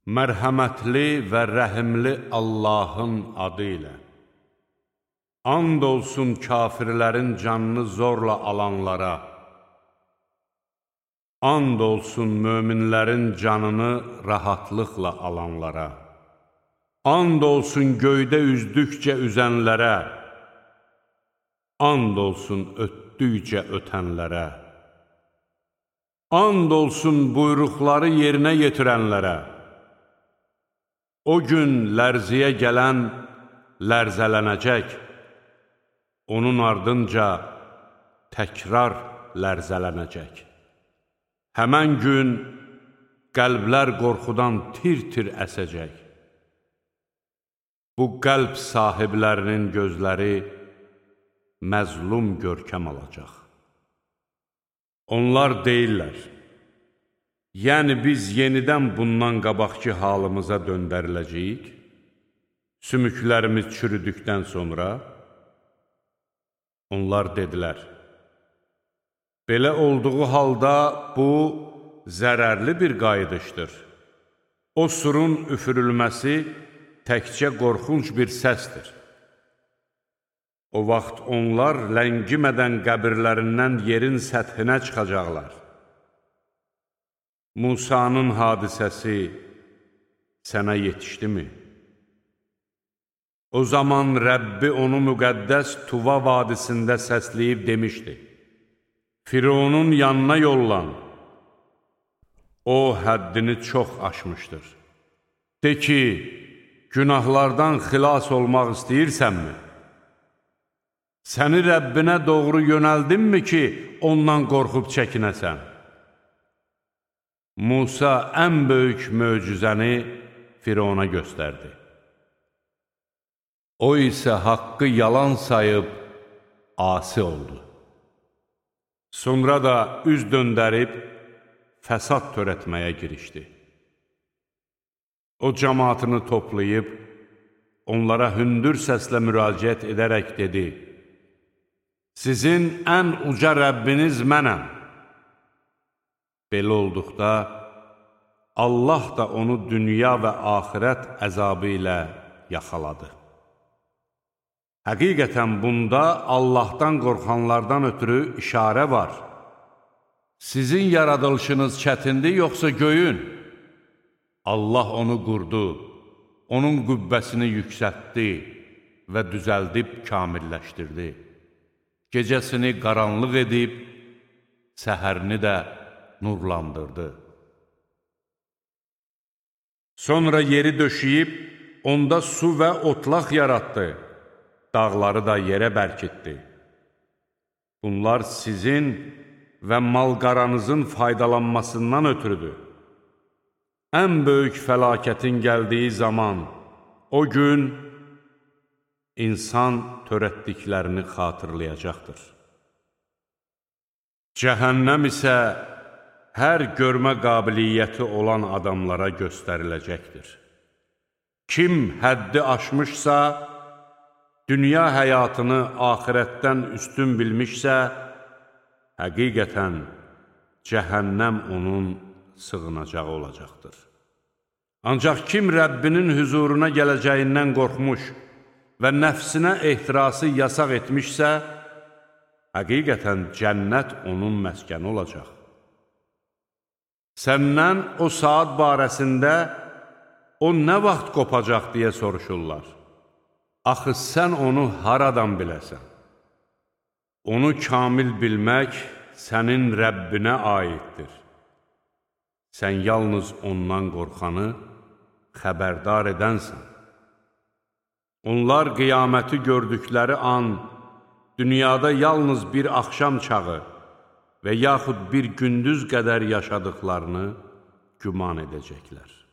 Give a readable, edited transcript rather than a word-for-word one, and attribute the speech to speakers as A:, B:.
A: Mərhəmətli və rəhimli Allahın adı ilə. And olsun kafirlərin canını zorla alanlara. And olsun möminlərin canını rahatlıqla alanlara. And olsun göydə üzdükcə üzənlərə. And olsun ötdükcə ötənlərə. And olsun buyruqları yerinə yetirənlərə. O gün lərziyə gələn lərzələnəcək, onun ardınca təkrar lərzələnəcək. Həmən gün qəlblər qorxudan tir-tir əsəcək. Bu qəlb sahiblərinin gözləri məzlum görkəm alacaq. Onlar deyirlər, yəni biz yenidən bundan qabaqki halımıza döndəriləcəyik, sümüklərimiz çürüdükdən sonra. Onlar dedilər, belə olduğu halda bu zərərli bir qayıdışdır. O surun üfürülməsi təkcə qorxunc bir səsdir. O vaxt onlar ləngimədən qəbirlərindən yerin səthinə çıxacaqlar. Musanın hadisəsi sənə yetişdimi? O zaman Rəbbi onu müqəddəs Tuva vadisində səsləyib demişdi, Fironun yanına yollan, o həddini çox aşmışdır. De ki, günahlardan xilas olmaq istəyirsənmi? Səni Rəbbinə doğru yönəldinmi ki, ondan qorxub çəkinəsən? Musa ən böyük möcüzəni Firona göstərdi. O isə haqqı yalan sayıb asi oldu. Sonra da üz döndərib fəsad törətməyə girişdi. O cəmaatını toplayıb, onlara hündür səslə müraciət edərək dedi, sizin ən uca Rəbbiniz mənəm. Belə olduqda, Allah da onu dünya və axirət əzabı ilə yaxaladı. Həqiqətən bunda Allahdan qorxanlardan ötürü işarə var. Sizin yaradılışınız çətindir, yoxsa göyün? Allah onu qurdu, onun qübbəsini yüksəltdi və düzəldib kamilləşdirdi. Gecəsini qaranlıq edib, səhərini də nurlandırdı. Sonra yeri döşəyib, onda su və otlaq yaratdı, dağları da yerə bərkitdi. Bunlar sizin və mal-qaranızın faydalanmasından ötürüdür. Ən böyük fəlakətin gəldiyi zaman, o gün insan törətdiklərini xatırlayacaqdır. Cəhənnəm isə hər görmə qabiliyyəti olan adamlara göstəriləcəkdir. Kim həddi aşmışsa, dünya həyatını axirətdən üstün bilmişsə, həqiqətən cəhənnəm onun sığınacağı olacaqdır. Ancaq kim Rəbbinin hüzuruna gələcəyindən qorxmuş və nəfsinə ehtirası yasaq etmişsə, həqiqətən cənnət onun məskəni olacaq. Səndən o saat barəsində o nə vaxt qopacaq deyə soruşurlar. Axı sən onu haradan biləsən? Onu kamil bilmək sənin Rəbbinə aiddir. Sən yalnız ondan qorxanı xəbərdar edənsən. Onlar qiyaməti gördükləri an, dünyada yalnız bir axşam çağı və yaxud bir gündüz qədər yaşadıqlarını güman edəcəklər.